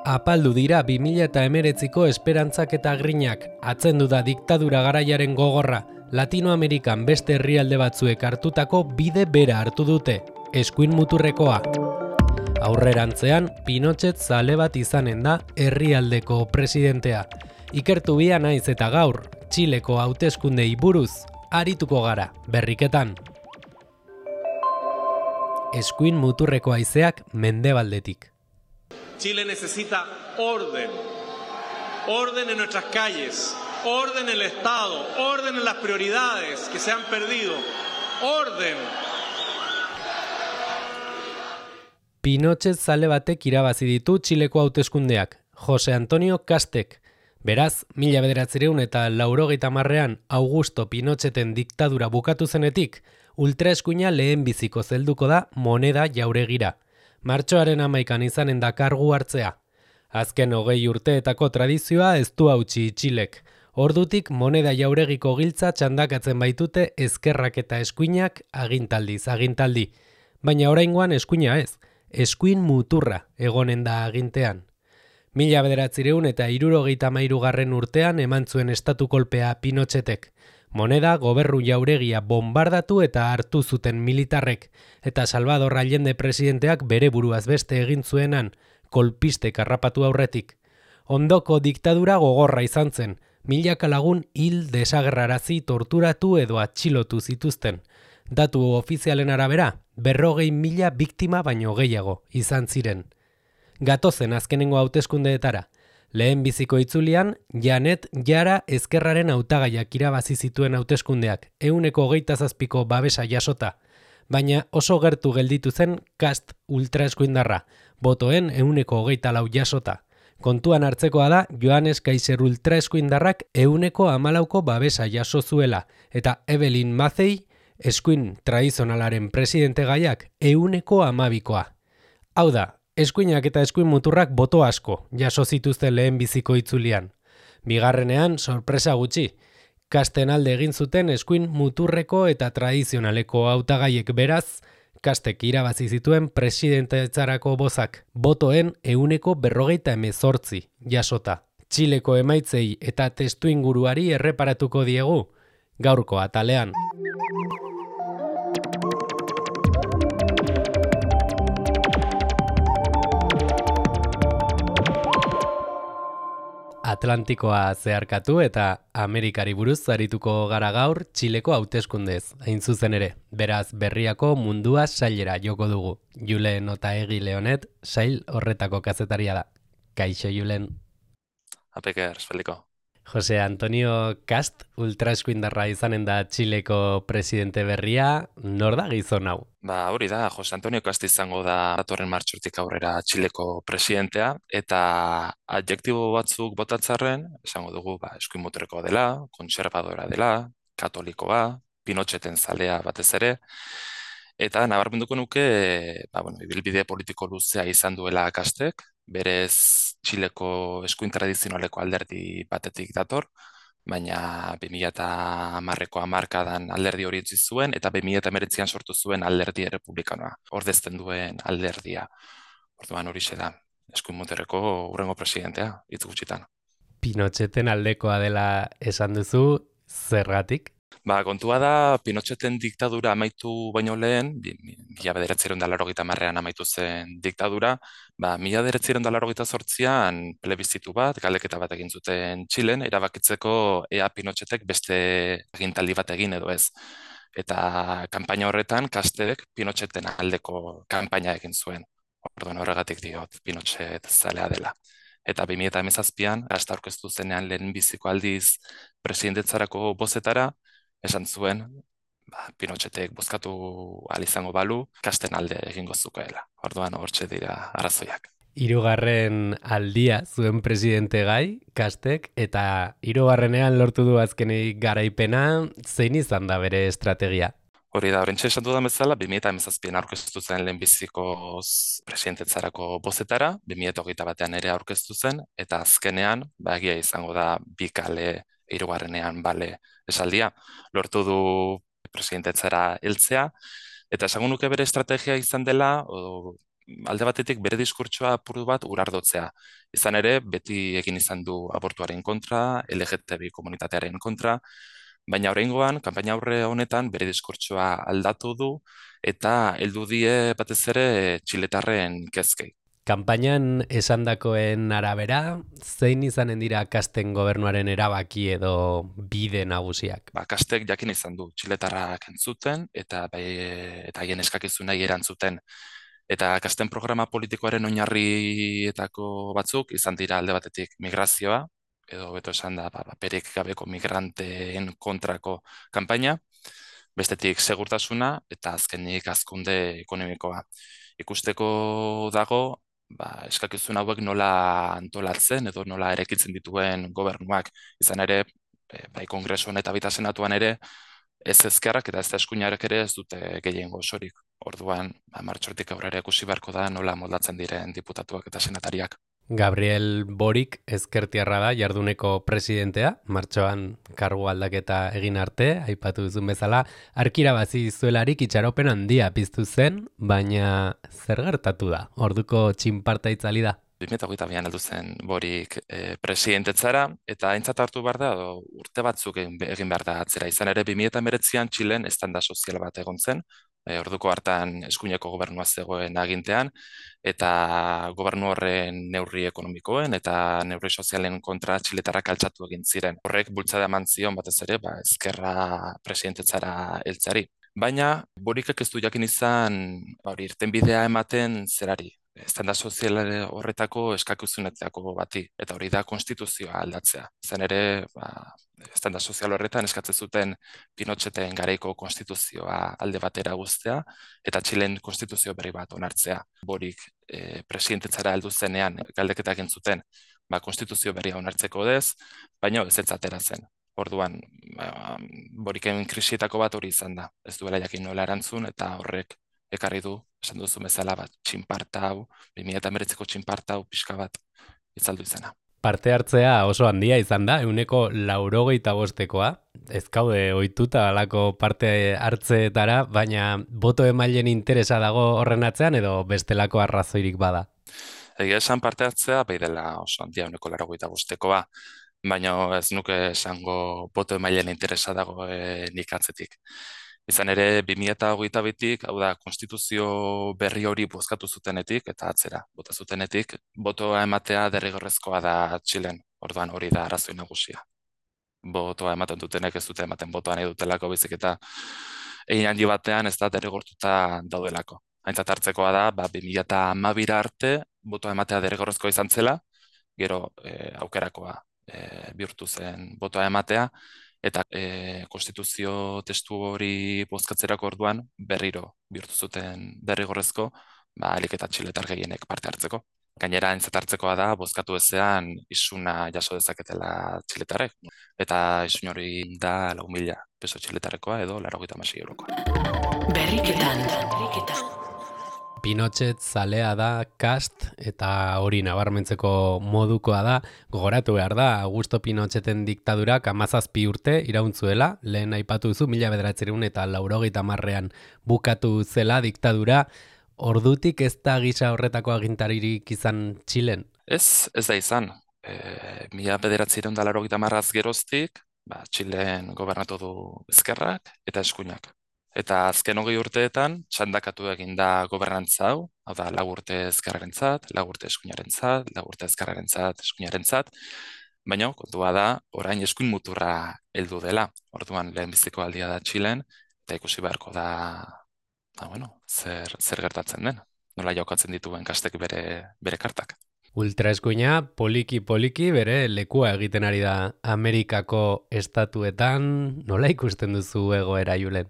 Apaldu dira 2019ko esperantzak eta grinak, atzendu da diktadura garaiaren gogorra, Latinoamerikan beste herrialde batzuek hartutako bide bera hartu dute, eskuin muturrekoa. Aurrerantzean, Pinochet zale bat izanen da herrialdeko presidentea. Ikertu bia naiz eta gaur, Txileko hauteskundei buruz, arituko gara, berriketan. Eskuin muturreko haizeak mendebaldetik. Chile necesita orden, orden en nuestras calles, orden en el Estado, orden en las prioridades que se han perdido, orden. Pinochet zale batek irabazi ditu Txileko hauteskundeak, Jose Antonio Kastek. Beraz, 1980ean Augusto Pinocheten diktadura bukatu zenetik, ultraeskuina lehenbiziko zelduko da moneda jauregira. Martxoaren 11an izanen da kargu hartzea. Azken 20 urteetako tradizioa ez du hautsi Txilek. Ordutik moneda jauregiko giltza txandakatzen baitute ezkerrak eta eskuinak agintaldiz agintaldi. Baina oraingoan eskuina ez, eskuin muturra egonen da agintean. 1973 urtean eman zuen estatu kolpea Pinochetek. Moneda gobernu jauregia bombardatu eta hartu zuten militarrek, eta Salvador Allende presidenteak bere buruaz beste egin zuenan, kolpistek harrapatu aurretik. Ondoko diktadura gogorra izan zen, milaka lagun hil desagerrarazi torturatu edo atxilotu zituzten. Datu ofizialen arabera, 40.000 biktima baino gehiago izan ziren. Gatozen azkenengo hauteskundeetara. Lehenbiziko itzulian, Janet Jara ezkerraren hautagaiak irabazi zituen hauteskundeak, 27%ko babesa jasota. Baina oso gertu gelditu zen Kast ultraeskuindarra, botoen 24% jasota. Kontuan hartzekoa da, Joanes Kaiser ultraeskuindarrak 14%ko babesa jaso zuela, eta Evelyn Matthey, eskuin tradizionalaren presidente gaiak 12%koa. Hau da, eskuinak eta eskuin muturrak boto asko jaso zituzten lehenbiziko itzulian. Bigarrenean, sorpresa gutxi. Kasten alde egin zuten eskuin muturreko eta tradizionaleko hautagaiek beraz, Kastek irabazi zituen presidentetzarako bozak, botoen 48% jasota. Txileko emaitzei eta testuinguruari erreparatuko diegu, gaurko atalean. Atlantikoa zeharkatu eta Amerikari buruz arituko gara gaur Txileko hauteskundez, hain zuzen ere. Beraz, berriako mundua sailera joko dugu. Julen Otaegi Leonet, sail horretako kazetaria da. Kaixo, Julen. Apeker, espeliko. Jose Antonio Kast, ultraeskuindarra izanen da Txileko presidente berria, nor da gizon hau? Hori da, Jose Antonio Kast izango da datorren martxortik aurrera Txileko presidentea, eta adjektibo batzuk botatzarren, esango dugu eskuin muturreko dela, kontserbadora dela, katolikoa, Pinocheten zalea batez ere, eta nabarmenduko nuke, ibilbide politiko luzea izan duela Kastek, berez Txileko eskuin tradizionaleko alderdi batetik dator, baina 2010ko hamarkadan alderdi hori utzi zuen, eta 2019an sortu zuen alderdi errepublikanoa, ordezten duen alderdia. Orduan horixe da, eskuin muturreko hurrengo presidentea, hitz gutxitan. Pinocheten aldekoa dela esan duzu, zergatik? Kontua da, Pinocheten diktadura amaitu baino lehen, 1980an amaitu zen diktadura, 1988an plebizitu bat, galdeketa bat egin zuten Txilen, erabakitzeko ea Pinochetek beste agintaldi bat egin edo ez. Eta kanpaina horretan, Kastek Pinocheten aldeko kanpaina egin zuen. Orduan horregatik diot, Pinochet zalea dela. Eta 2017an, Kast aurkeztu zenean lehenbiziko aldiz presidentetzarako bozetara, esan zuen, Pinochetek bozkatu ahal izango balu, Kasten alde egingo zukeela. Orduan hortxe dira arrazoiak. 3. aldia zuen presidente gai, Kastek, eta 3. lortu du azkenik garaipena, zein izan da bere estrategia? Hori da, horrentxe esan dudan bezala, 2017an aurkeztu zen lehenbiziko presidentetzarako bozetara, 2021an ere aurkeztu zen, eta azkenean, egia izango da bikale 3. bale esaldia, lortu du presidentetzara heltzea, eta esango nuke bere estrategia izan dela, alde batetik bere diskurtsoa apur bat urardotzea. Izan ere, beti egin izan du abortuaren kontra, LGTBI komunitatearen kontra, baina oraingoan, kanpaina aurre honetan bere diskurtsoa aldatu du eta heldu die batez ere txiletarren kezkei. Kanpainan esandakoen arabera, zein izanen dira Kasten gobernuaren erabaki edo bide nagusiak? Kastek jakin izan du txiletarrak entzuten eta haien eskakizunei erantzuten. Eta Kasten programa politikoaren oinarrietako batzuk izan dira alde batetik migrazioa, edo beto esan da perik gabeko migranteen kontrako kanpaina, bestetik segurtasuna eta azkenik hazkunde ekonomikoa. Ikusteko dago, eskakizun hauek nola antolatzen edo nola erekitzen dituen gobernuak. Izan ere, bai kongresuan eta baita senatuan ere, ez ezkerrak eta ez da eskuinarek ere ez dute gehiengo osorik. Orduan, martxortik aurrera ikusi beharko da nola moldatzen diren diputatuak eta senatariak. Gabriel Boric ezkertiarra da jarduneko presidentea, martxoan kargu aldaketa egin arte, aipatu duzun bezala, arkirabazi zuelarik itxaropen handia piztu zen, baina zer gertatu da? Orduko txinparta itzali da? 2022an heldu zen Boric presidentetzara, eta aintzat hartu behar da, urte batzuk egin behar da atzera. Izan ere, 2019an Txilen estanda sozial bat egon zen, orduko hartan eskuineko gobernua zegoen agintean, eta gobernu horren neurri ekonomikoen eta neurri sozialen kontra txiletarrak altxatu egin ziren. Horrek bultzada eman zion batez ere, ezkerra presidentetzara heltzeari. Baina, Boricek ez du jakin izan irtenbidea ematen zerari. Estanda sozial horretako eskakizunetako bati, eta hori da konstituzioa aldatzea. Izan ere, estanda sozial horretan eskatzen zuten Pinocheten garaiko konstituzioa alde batera guztea, eta Txilen konstituzio berri bat onartzea. Boric presidentetzara heldu zenean galdeketak egin zuten, konstituzio berria onartzeko dez, baina ez atera zen. Orduan, Boricen krisietako bat hori izan da. Ez duela jakin nola erantzun, eta horrek ekarri du, esan duzu bezala txinparta hau, 2019ko txinparta hau pixka bat itzaldu izena. Parte hartzea oso handia izan da, 185koa. Ez kaude ohituta halako parte hartzeetara, baina boto emaileen interesa dago horren atzean edo bestelako arrazoirik bada? Egia esan parte hartzea, bai dela oso handia 185koa, baina ez nuke esango boto emaileen interesa dago nik atzetik. Izan ere, 2022tik, hau da, konstituzio berri hori bozkatu zutenetik, eta atzera, bota zutenetik, botoa ematea derrigorrezkoa da Txilen, orduan hori da arrazoi nagusia. Botoa ematen dutenek ez dute ematen botoa nahi dutelako, baizik eta egin handi batean ez da derrigortuta daudelako. Aintzat hartzekoa da, 2012 arte, botoa ematea derrigorrezkoa izan zela, gero aukerakoa bihurtu zen botoa ematea, eta konstituzio testu hori bozkatzerako orduan berriro bihurtu zuten derrigorrezko, ahalik eta txiletar gehienek parte hartzeko. Gainera, aintzat hartzekoa da, bozkatu ezean isuna jaso dezaketela txiletarek. Eta isun hori da 4.000 peso txiletarekoa edo 96 eurokoa. Berriketan. Pinochet zalea da Kast eta hori nabarmentzeko modukoa da. Gogoratu behar da, Augusto Pinocheten diktadurak 17 urte iraunzuela, lehen aipatu duzu 1980ean bukatu zela diktadura. Ordutik ez da gisa horretako agintaririk izan Txilen? Ez da izan. 1980 geroztik, Txilen gobernatu du ezkerrak eta eskuinak. Eta azken 20 urteetan, txandakatu egin da gobernantza hau, hau da, 4 urte ezkerrarentzat, 4 urte eskuinarentzat, 4 urte ezkerrarentzat, eskuinarentzat, baina kontua da, orain eskuin muturra heldu dela. Orduan lehenbiziko aldia da Txilen, eta ikusi beharko da, zer gertatzen den, nola jokatzen dituen Kastek bere kartak. Ultraeskuina poliki bere lekua egiten ari da Amerikako estatuetan, nola ikusten duzu egoera, Julen?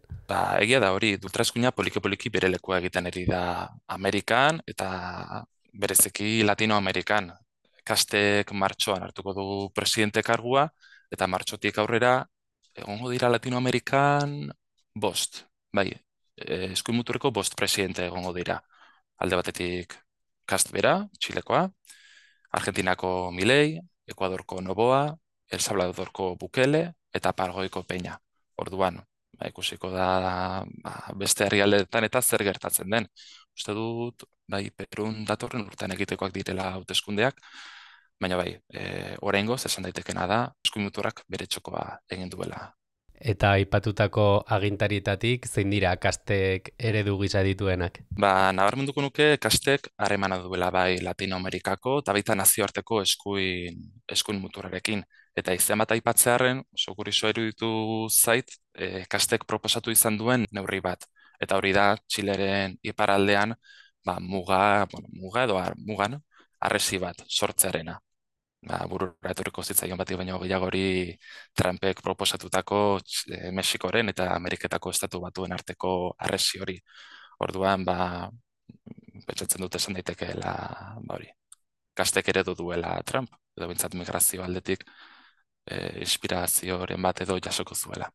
Egia da hori, ultraeskuina poliki bere lekua egiten ari da Amerikan eta bereziki Latinoamerikan. Kastek martxoan hartuko du presidente kargua eta martxotik aurrera egongo dira Latinoamerikan 5. Eskuin muturreko 5 presidente egongo dira. Alde batetik Kast bera, Txilekoa, Argentinako Milei, Ekuadorko Noboa, El Salvadorko Bukele eta Paraguaiko Peña. Orduan, ikusiko da beste herrialdeetan eta zer gertatzen den. Uste dut, bai, Perun datorren urtean egitekoak direla hauteskundeak, baina bai, oraingoz esan daitekena da, eskuin muturrak bere txokoa egin duela. Eta aipatutako agintarietatik zein dira kastek eredu gisa dituenak? Nabarmenduko nuke kastek harremana duela bai Latinoamerikako eta baita nazioarteko eskuin muturrarekin. Eta izen bat aipatzearren, oso kuriosoa iruditu zait, kastek proposatu izan duen neurri bat. Eta hori da, Txileren iparaldean, mugan, harresi bat sortzearena. Burura etorriko zitzaion batik baino gehiago hori Trumpek proposatutako Mexikoren eta Ameriketako estatu batuen arteko harresi hori. Orduan, pentsatzen dute esan daitekeela hori. Kastek eredu duela Trump, edo bintzat migrazio aldetik inspirazioren bat edo jasoko zuela.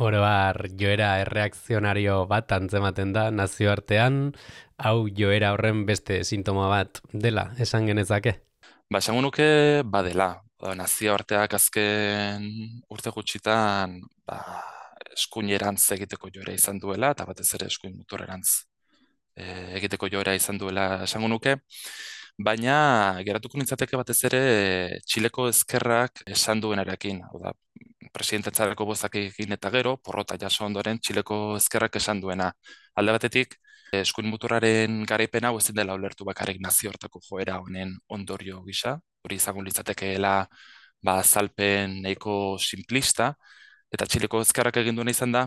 Oroar joera erreakzionario bat antzematen da nazioartean, hau joera horren beste sintoma bat dela, esan genezake? Esango nuke badela. Nazioarteak azken urte gutxitan eskuinerantz egiteko joera izan duela, eta batez ere eskuin muturrerantz egiteko joera izan duela esango nuke, baina geratuko nintzateke batez ere Txileko ezkerrak esan duenarekin. Presidentetzareko bozak egin eta gero, porrota jaso ondoren Txileko ezkerrak esan duena. Alde batetik, eskuin muturraren garaipena hau ezin dela ulertu bakarrik nazioarteko joera honen ondorio gisa. Hori izango litzatekeela azalpen nahiko simplista, eta Txileko ezkerrak egin duena izan da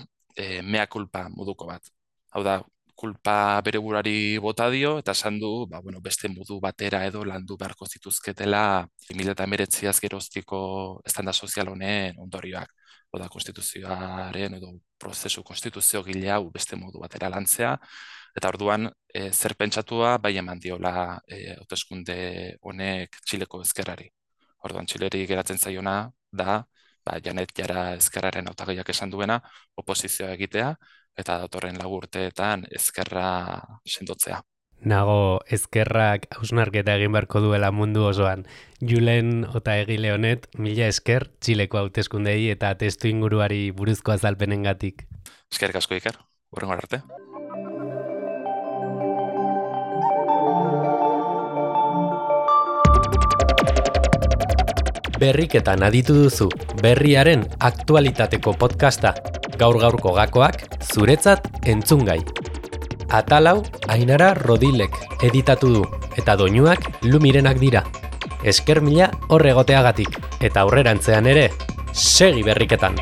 mea culpa moduko bat. Hau da, kulpa bere burari bota dio, eta esan du, beste modu batera edo landu beharko zituzketela 2019 geroztiko estanda sozial honen ondorioak. Oda, konstituzioaren edo prozesu konstituzio gile hau beste modu batera lantzea, eta orduan zer pentsatua bai eman diola hauteskunde honek Txileko ezkerrari. Orduan Txileri geratzen zaiona da, Janet Jara ezkerraren hautagaiak esan duena, oposizioa egitea, eta datorren 4 urteetan ezkerra sendotzea. Nago ezkerrak hausnarketa egin beharko duela mundu osoan. Julen Otaegile honet, mila esker Txileko hauteskundei eta testu inguruari buruzko azalpenengatik. Eskerrik asko Iker, hurrengo arte. Berriketan aditu duzu, berriaren aktualitateko podcasta. Gaur-gaurko gakoak zuretzat entzungai. Atalau Ainara Rodilek editatu du, eta doinuak Lumirenak dira. Esker mila horregoteagatik, eta aurrerantzean ere, segi berriketan!